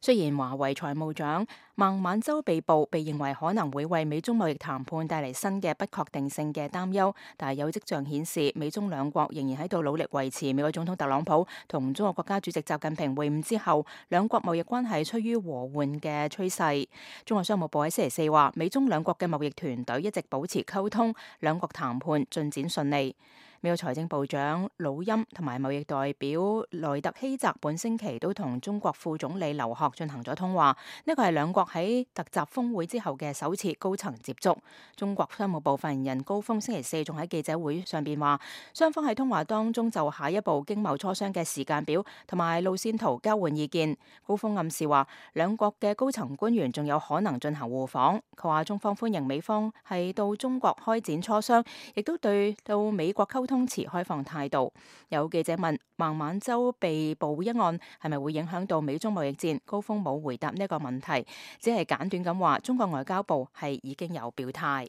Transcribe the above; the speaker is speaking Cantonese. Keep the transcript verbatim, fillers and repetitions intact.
雖然華為財務長孟晚舟被捕，被認為可能會為美中貿易談判帶嚟新嘅不確定性嘅擔憂，但係有跡象顯示美中兩國仍然喺度努力維持美國總統特朗普同中國國家主席習近平會晤之後，兩國貿易關係趨於和緩嘅趨勢。中國商務部喺星期四話，美中兩國嘅貿易團隊一直保持溝通，兩國談判進展順利。美國財政部長魯欽同埋貿易代表萊特希澤本星期都同中國副總理劉鶴進行咗通話，呢個係兩國喺特集峰會之後嘅首次高層接觸。中國商務部發言人高峰星期四仲喺記者會上邊話，雙方喺通話當中就下一步經貿磋商嘅時間表同埋路線圖交換意見。高峰暗示話，兩國嘅高層官員仲有可能進行互訪。佢話中方歡迎美方係到中國開展磋商，亦都對到美國溝通持開放態度。有記者問孟晚舟被捕一案係咪會影響到美中貿易戰？高峰冇回答呢個問題，只係簡短咁話中國外交部係已經有表態。